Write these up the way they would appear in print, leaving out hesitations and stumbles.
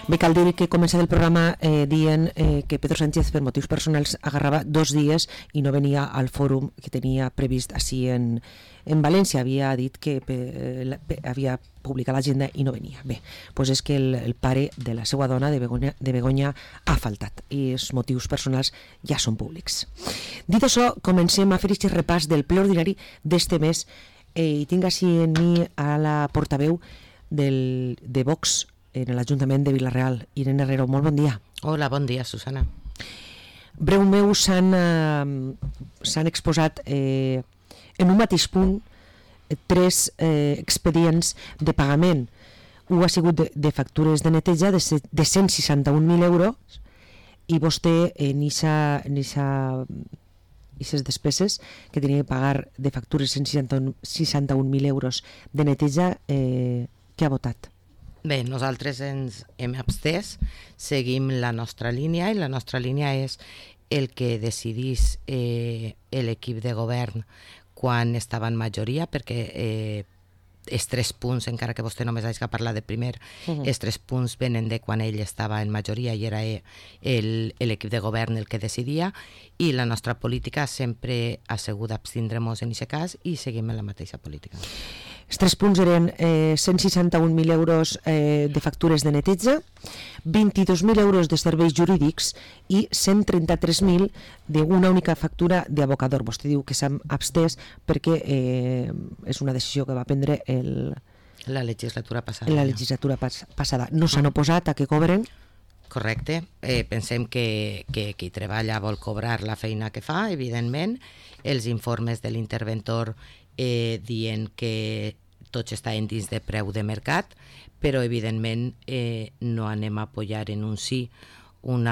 Bé, cal dir que comença el programa dient que Pedro Sánchez per motius personals agarrava 2 dies i no venia al fòrum que tenia previst així en València. Havia dit que havia publicat l'agenda i no venia. Bé, doncs és que el pare de la seva dona, de Begoña, ha faltat i els motius personals ja són públics. Dit això, comencem a fer aquest repàs del ple ordinari d'este mes i tinc així en mi a la portaveu de Vox en l'Ajuntament de Vila-real, Irene Herrero. Molt bon dia. Hola, bon dia, Susana. Breu meu, s'han exposat en un mateix punt 3 expedients de pagament. Un ha sigut de factures de neteja de 161.000 euros i vostè en aquestes despeses que tenia que pagar de factures 161.000 euros de neteja, què ha votat? Bé, nosaltres ens hem abstès, seguim la nostra línia i la nostra línia és el que decidís l'equip de govern quan estava en majoria, perquè els 3 punts, encara que vostè només hagi parlat de primer, els 3 punts venen de quan ell estava en majoria i era l'equip de govern el que decidia, i la nostra política sempre ha sigut abstindre-nos en aquest cas i seguim en la mateixa política. Els 3 punts eren 161.000 euros de factures de neteja, 22.000 euros de serveis jurídics i 133.000 d'una única factura d'abocador. Vostè diu que s'ha abstès perquè és una decisió que va prendre la legislatura passada. No s'han oposat a que cobren? Correcte. Pensem que qui treballa vol cobrar la feina que fa, evidentment. Els informes de l'interventor dient que tots estaven dins de preu de mercat, però evidentment no anem a apoyar en un sí un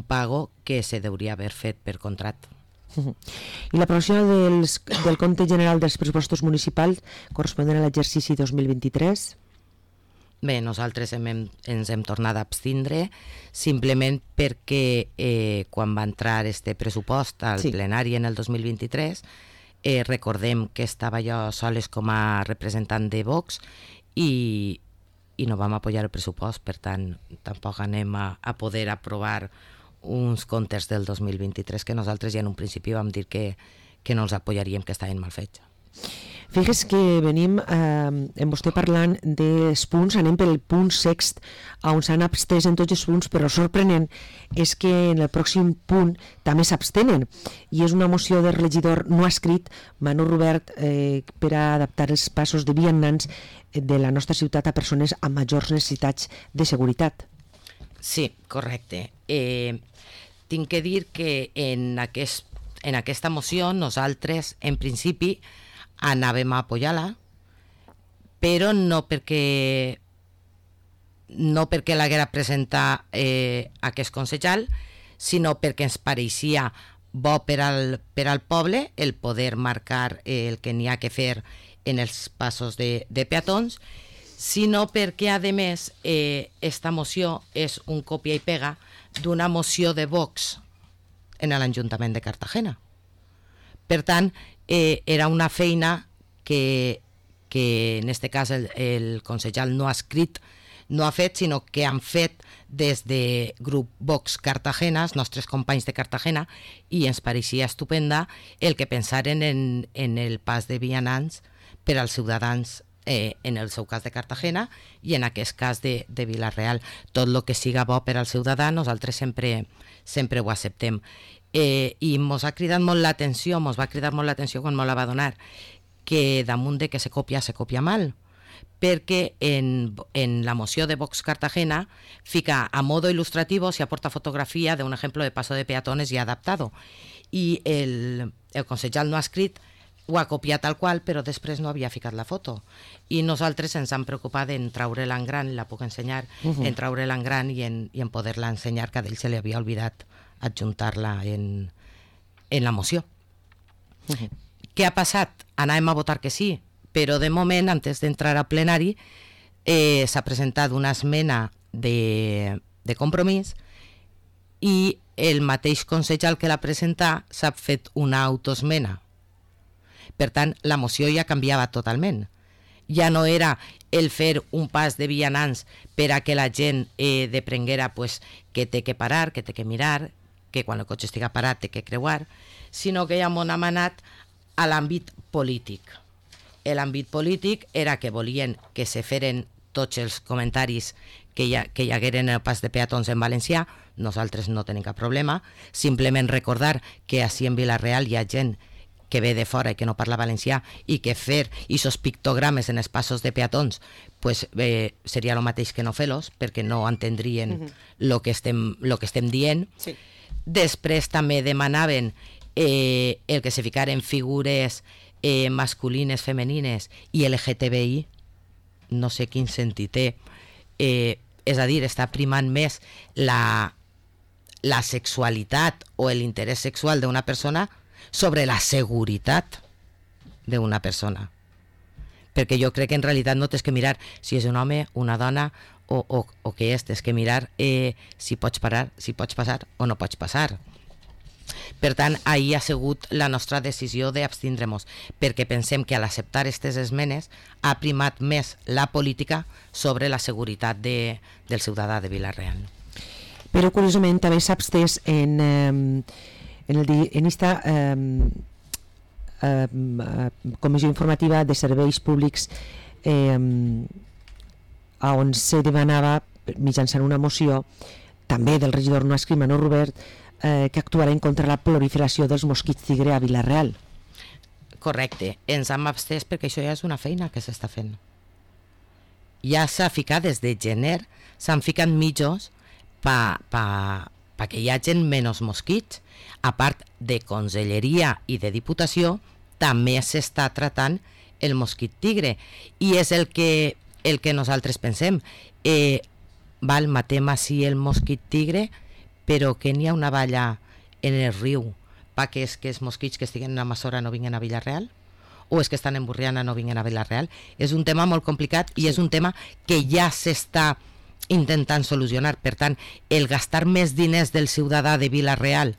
pago que se deuria haver fet per contracte. I l'aprovació del compte general dels pressupostos municipals corresponent a l'exercici 2023? Bé, nosaltres ens hem tornat a abstindre simplement perquè quan va entrar este pressupost al plenari en el 2023 recordem que estava jo soles com a representant de Vox i no vam apoyar el pressupost, per tant tampoc anem a poder aprovar uns comptes del 2023 que nosaltres ja en un principi vam dir que no els apoyaríem, que estaven mal fets. Fixes que venim amb vostè parlant dels punts, anem pel punt sext on s'han abstès en tots els punts, però sorprenent és que en el pròxim punt també s'abstenen i és una moció del regidor no escrit Manu Robert per a adaptar els passos de vianants de la nostra ciutat a persones amb majors necessitats de seguretat. Sí, correcte. Tinc que dir que en aquesta moció nosaltres en principi anàvem a apoyar-la, però no perquè l'haguera presentat aquest consellal, sinó perquè ens pareixia bo per al poble el poder marcar el que n'hi ha que fer en els passos de peatons, sinó perquè, a més, esta moció és un còpia i pega d'una moció de Vox en l'Ajuntament de Cartagena. Per tant, era una feina que en aquest cas el consellal no ha escrit, no ha fet, sinó que han fet des de grup Vox Cartagena, els nostres companys de Cartagena, i ens pareixia estupenda el que pensaren en el pas de vianants per als ciutadans en el seu cas de Cartagena i en aquest cas de Vila-real. Tot el que siga bo per al ciutadà nosaltres sempre ho acceptem. I mos ha cridat molt l'atenció, quan me la va donar, que damunt de que se copia mal, perquè en la moció de Vox Cartagena fica a modo ilustrativo, se aporta fotografía de un ejemplo de paso de peatones ya adaptado, i el consellal no ha escrit, ho ha copiat tal qual, però després no havia ficat la foto. I nosaltres ens hem preocupat en traure-la en gran, la puc ensenyar, en traure-la en gran i en poder-la ensenyar, que a ell se li havia oblidat adjuntar-la en la moció. Què ha passat? Anàvem a votar que sí, però de moment, antes d'entrar al plenari, s'ha presentat una esmena de compromís i el mateix consellal que l'ha presentat s'ha fet una autoesmena. Per tant, la moció ja canviava totalment. Ja no era el fer un pas de vianants per a que la gent deprenguera pues, que té que parar, que té que mirar, que quan el cotxe estiga parat té que creuar, sinó que ja m'on hem anat a l'àmbit polític. L'àmbit polític era que volien que se feren tots els comentaris que hi hagueren en el pas de peatons en valencià. Nosaltres no tenim cap problema, simplement recordar que així en Vila-real hi ha gent que ve de fora i que no parla valencià i que fer aquests pictogrames en els passos de peatons pues, seria el mateix que no fer-los, perquè no entendrien el que estem dient. Sí. Després també demanaven el que se ficaren figures masculines, femenines i LGTBI, no sé quin sentit té, és a dir, està primant més la sexualitat o l'interès sexual d'una persona sobre la seguretat d'una persona. Perquè jo crec que en realitat no tens que mirar si és un home, una dona o què és, tens que mirar si pots parar, si pots passar o no pots passar. Per tant, ahir ha sigut la nostra decisió d'abstindre-nos, perquè pensem que a l'acceptar aquestes esmenes ha primat més la política sobre la seguretat del ciutadà de Vila-real. Però curiosament també s'abstès en esta comissió informativa de serveis públics on se demanava mitjançant una moció també del regidor no adscrit Manol Robert que actuarà contra la proliferació dels mosquits tigre a Vila-real. Correcte, ens hem abstès perquè això ja és una feina que s'està fent. Ja s'ha ficat des de gener, s'han ficat mitjos perquè hi hagi menys mosquits. A part de conselleria i de diputació, també s'està tratant el mosquit tigre. I és el que nosaltres pensem. Matem així el mosquit tigre, però que n'hi ha una valla en el riu perquè és que els mosquits que estiguen a Massora no vinguen a Vila-real? O és que estan en Burriana no vinguen a Vila-real? És un tema molt complicat i és un tema que ja s'està intentant solucionar. Per tant, el gastar més diners del ciutadà de Vila-real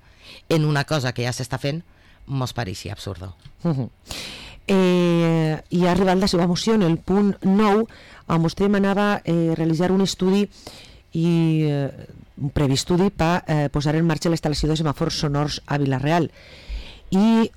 en una cosa que ja s'està fent mos pareixia absurdo. I ha arribat la seva moció en el punt 9 on vostè demanava realitzar un estudi i un previ estudi per posar en marxa la instal·lació de semàfors sonors a Vila-real i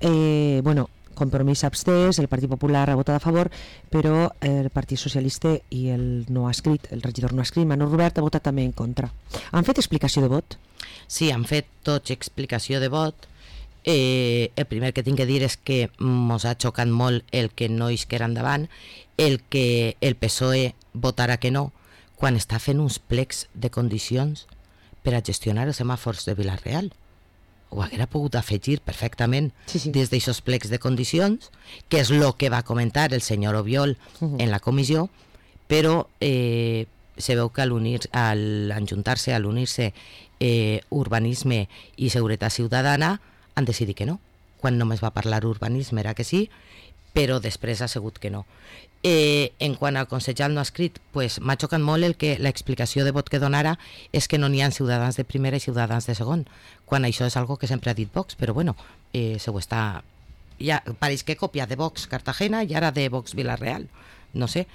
Compromís abstès, el Partit Popular ha votat a favor, però el Partit Socialista i el regidor no adscrit Manol Robert ha votat també en contra. Han fet explicació de vot? Sí, han fet tots explicació de vot. El primer que tinc que dir és que mos ha xocat molt el que no isquera endavant, el que el PSOE votarà que no, quan està fent uns plecs de condicions per a gestionar els semàfors de Vila-real. Ho haguera pogut afegir perfectament des d'aixòs plecs de condicions, que és el que va comentar el senyor Obiol en la comissió, però se veu que al ajuntar-se, al unir-se urbanisme i seguretat ciutadana, han decidit que no. Quan només va parlar urbanisme era que sí, però després ha sigut que no. En quant al consellal no adscrit, m'ha xocat molt l'explicació de vot que donara és que no n'hi ha ciutadans de primera i ciutadans de segon, quan això és algo que sempre ha dit Vox, però bueno, se ho està... Ja pareix que copia de Vox Cartagena i ara de Vox Vila-real, no sé.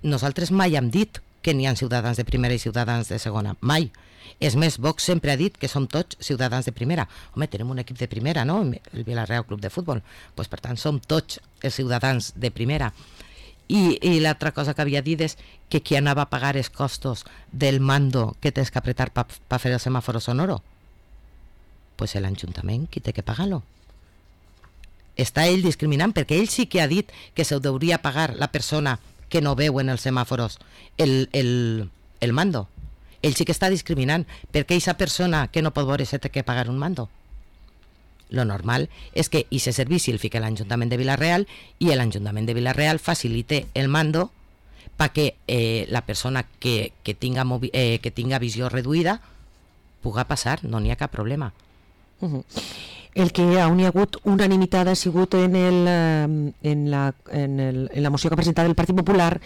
Nosaltres mai hem dit que n'hi ha ciutadans de primera i ciutadans de segona, mai. És més, Vox sempre ha dit que som tots ciutadans de primera. Home, tenim un equip de primera, no? El Vila-real Club de Futbol. Per tant, som tots els ciutadans de primera. I l'altra cosa que havia dit és que qui anava a pagar els costos del mando que tens que apretar per fer el semàforo sonoro? Pues l'Ajuntament, qui té que pagar-lo? Està ell discriminant, perquè ell sí que ha dit que se hauria pagar la persona que no veu en els semàforos el mando. Ell sí que està discriminant, perquè aquesta persona que no pot veure se té que pagar un mando. Lo normal és que aquest servici el fica l'Ajuntament de Vila-real i l'Ajuntament de Vila-real facilite el mando perquè la persona que tinga visió reduïda puga passar, no n'hi ha cap problema. El que on hi ha hagut unanimitat ha sigut en la moció que ha presentat el Partit Popular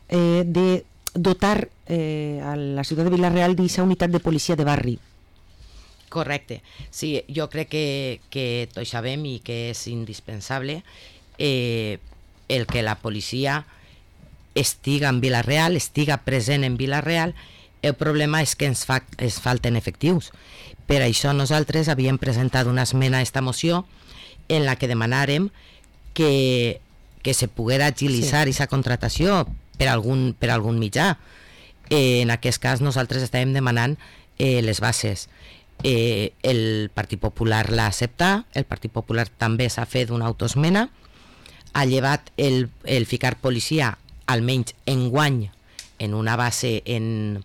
de dotar a la ciutat de Vila-real d'aquesta unitat de policia de barri. Correcte. Sí, jo crec que tots sabem i que és indispensable el que la policia estiga en Vila-real, estiga present en Vila-real. El problema és que ens falten efectius. Per això nosaltres havíem presentat una esmena a esta moció en la que demanàrem que se poguera agilitzar aquesta contratació per algun mitjà. En aquest cas nosaltres estàvem demanant les bases. El Partit Popular l'ha acceptat, el Partit Popular també s'ha fet una autoesmena, ha llevat el ficar policia almenys enguany en una base en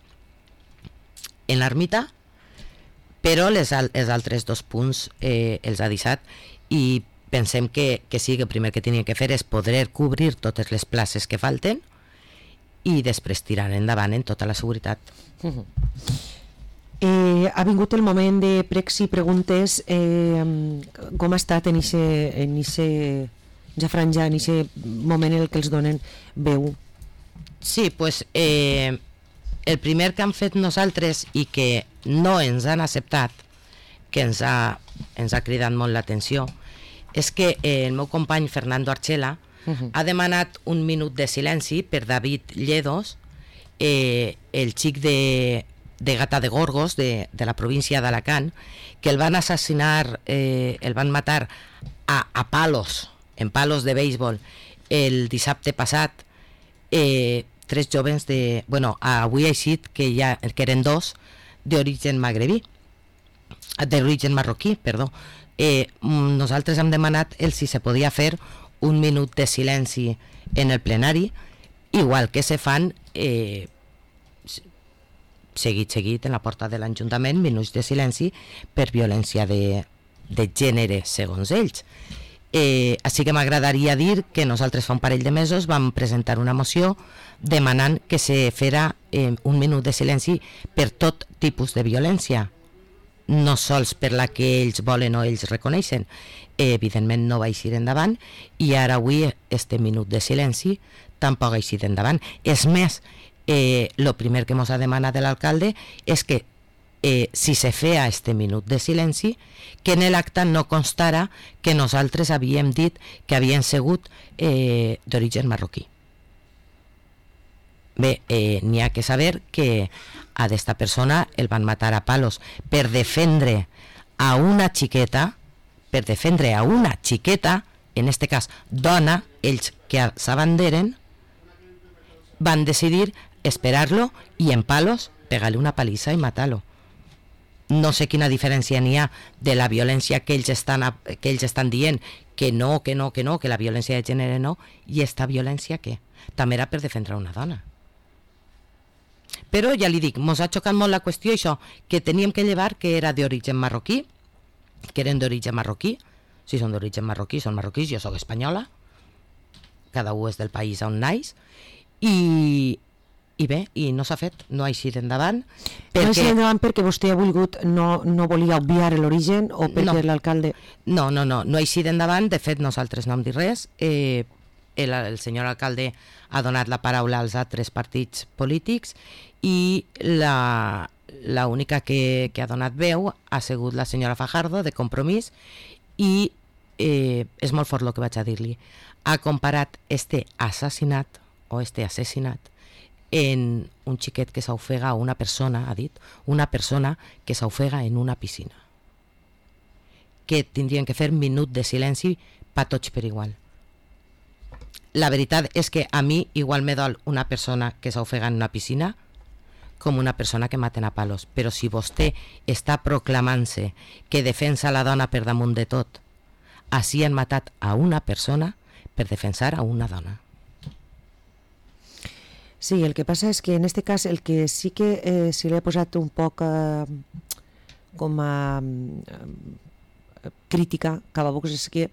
l'ermita, però els altres 2 punts els ha deixat, i pensem que sí, que el primer que tenien que fer és poder cobrir totes les places que falten i després tirar endavant en tota la seguretat. Ha vingut el moment de pregs i preguntes. Com ha estat en aquesta franja, en aquest moment en el que els donen veu? Sí, pues el primer que han fet nosaltres i que no ens han acceptat, que ens ha cridat molt l'atenció, és que el meu company Fernando Archela ha demanat un minut de silenci per David Lledos, el xic de Gata de Gorgos, de la província d'Alacant, que el van assassinar, el van matar a palos, en palos de béisbol, el dissabte passat. 3 jóvens avui ha eixit que eren 2 d'origen marroquí, perdó. Nosaltres hem demanat si se podia fer un minut de silenci en el plenari, igual que se fan seguit en la porta de l'Ajuntament, minuts de silenci per violència de gènere, segons ells. Així que m'agradaria dir que nosaltres fa un parell de mesos vam presentar una moció demanant que se fera un minut de silenci per tot tipus de violència, no sols per la que ells volen o ells reconeixen. Evidentment no va eixir endavant, i ara avui este minut de silenci tampoc ha eixit endavant. És més, el primer que ens ha demanat l'alcalde és que si se feia este minut de silenci, que en l'acte no constara que nosaltres havíem dit que havien sigut d'origen marroquí. Bé, n'hi ha que saber que a d'esta persona el van matar a palos per defendre a una xiqueta, en este cas dona. Ells que s'abanderen van decidir esperar-lo i en palos pegar-li una palissa i matar-lo. No sé quina diferència n'hi ha de la violència que ells estan dient que no, que la violència de gènere no, i esta violència què? També era per defendre una dona. Però ja li dic, mos ha xocat molt la qüestió això, que teníem que llevar que era d'origen marroquí, que eren d'origen marroquí. Si són d'origen marroquí, són marroquís, jo sóc espanyola, cada un és del país on naix, i bé, i no s'ha fet, no ha eixit endavant. No ha eixit endavant perquè vostè ha volgut, no volia obviar l'origen, o perquè l'alcalde... No ha eixit endavant. De fet, nosaltres no hem dit res. El senyor alcalde ha donat la paraula als altres partits polítics, i l'única que ha donat veu ha sigut la senyora Fajardo, de Compromís, i és molt fort el que vaig a dir-li. Ha comparat este assassinat en un xiquet que s'ofega, una persona, ha dit, una persona que s'ofega en una piscina. Que tindrien que fer minut de silenci per tots per igual. La veritat és que a mi igual me dol una persona que s'ofega en una piscina com una persona que maten a palos. Però si vostè està proclamant-se que defensa la dona per damunt de tot, així han matat a una persona per defensar a una dona. Sí, el que passa és que en este cas el que sí que se li ha posat un poc com a crítica cap a Vox és que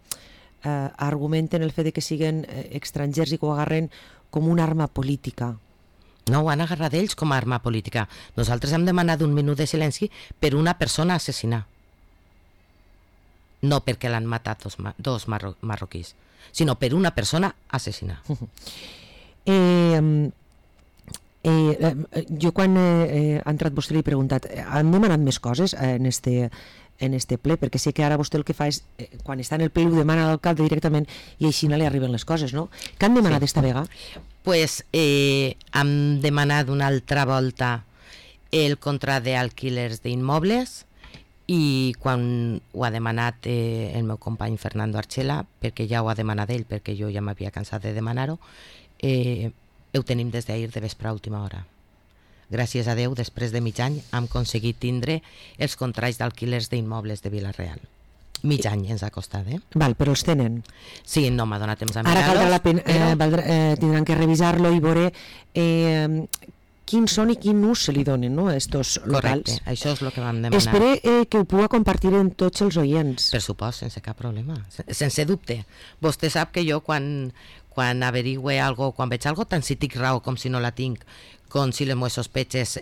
argumenten el fet de que siguin estrangers i que ho agarren com una arma política. No, ho han agarrat ells com a arma política. Nosaltres hem demanat un minut de silenci per una persona assassinada. No perquè l'han matat dos marroquís, sinó per una persona assassinada. Jo quan ha entrat vostè li he preguntat, han demanat més coses en este en este ple, perquè sé que ara vostè el que fa és, quan està en el ple ho demana a l'alcalde directament i així no li arriben les coses, no? Què han demanat esta vegada? Pues hem demanat una altra volta el contracte d'alquilers d'immobles i quan ho ha demanat el meu company Fernando Archela, perquè ja ho ha demanat ell, perquè jo ja m'havia cansat de demanar-ho, ho tenim des d'ahir de vespre a última hora. Gràcies a Déu, després de mig any, hem aconseguit tindre els contractes d'alquilers d'immobles de Vila-real. Mig any ens ha costat, Val, però els tenen. Sí, no m'ha donat temps a mirar-los. Ara caldrà la pena, tindran que revisar-lo i veure quins són i quin ús se li donen, no?, a estos locals. Correcte, això és el que vam demanar. Espero que ho puga compartir amb tots els oients. Per supost, sense cap problema, sense dubte. Vostè sap que jo quan averigüe algo, quan veig algo, tant si tinc raó com si no la tinc, com si les meves sospetxes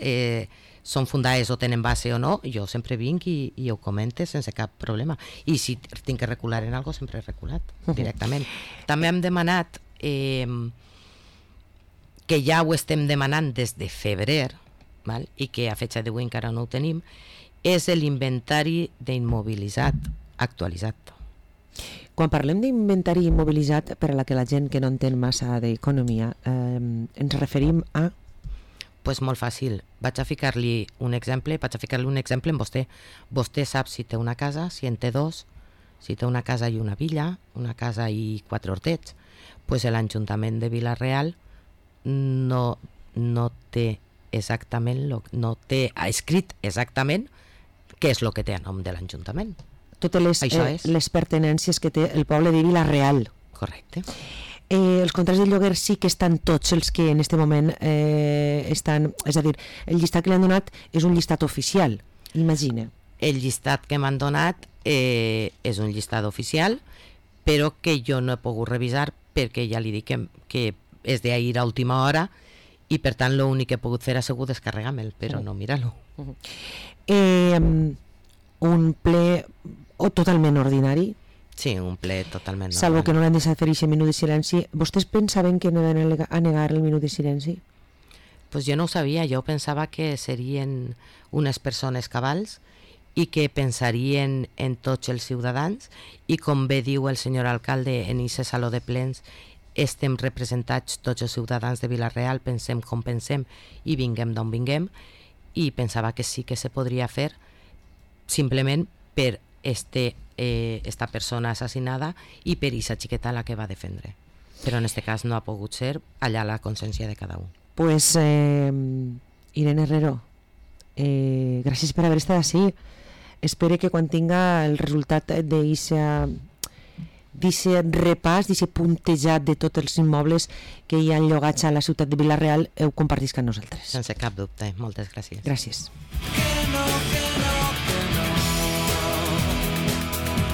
són fundades o tenen base o no, jo sempre vinc i ho comente sense cap problema. I si tinc que recular en algo, sempre he reculat directament. També hem demanat, que ja ho estem demanant des de febrer, val? I que a fetge d'avui encara no ho tenim, és l'inventari d'immobilitzat actualitzat. Quan parlem d'inventari immobilitzat, per a la que la gent que no entén massa d'economia, ens referim a... Pues molt fàcil. Vaig a ficar-li un exemple en vostè. Vostè sap si té una casa, si en té dos, si té una casa i una villa, una casa i 4 hortets. Pues l'Ajuntament de Vila-real no té exactament, no té escrit exactament què és el que té a nom de l'Ajuntament. Totes les pertinències que té el poble de Vila-real. Correcte. Els contractes de lloguer sí que estan tots els que en aquest moment estan, és a dir, el llistat que li han donat és un llistat oficial, imagina. El llistat que m'han donat és un llistat oficial, però que jo no he pogut revisar perquè ja li dic que és d'ahir a última hora i per tant l'únic que he pogut fer ha sigut descarregar-me'l, però no mirar-lo. Un ple totalment ordinari? Sí, un ple totalment normal. Salvo que no l'han deixat fer aquest minut de silenci. Vostès pensaven que anaven a negar el minut de silenci? Pues jo no ho sabia, jo pensava que serien unes persones cabals i que pensarien en tots els ciutadans i com bé diu el senyor alcalde en aquest saló de plens, estem representats tots els ciutadans de Vila-real, pensem com pensem i vinguem d'on vinguem, i pensava que sí que se podria fer simplement per esta persona assassinada i per aquesta xiqueta la que va defendre. Però en aquest cas no ha pogut ser, allà la consciència de cada un. Pues Irene Herrero, gràcies per haver estat així. Espero que quan tinga el resultat d'aquest repàs, d'aquest puntejat de tots els immobles que hi ha llogats a la ciutat de Vila-real, ho compartisca amb nosaltres. Sense cap dubte, moltes gràcies. Gràcies. Que no.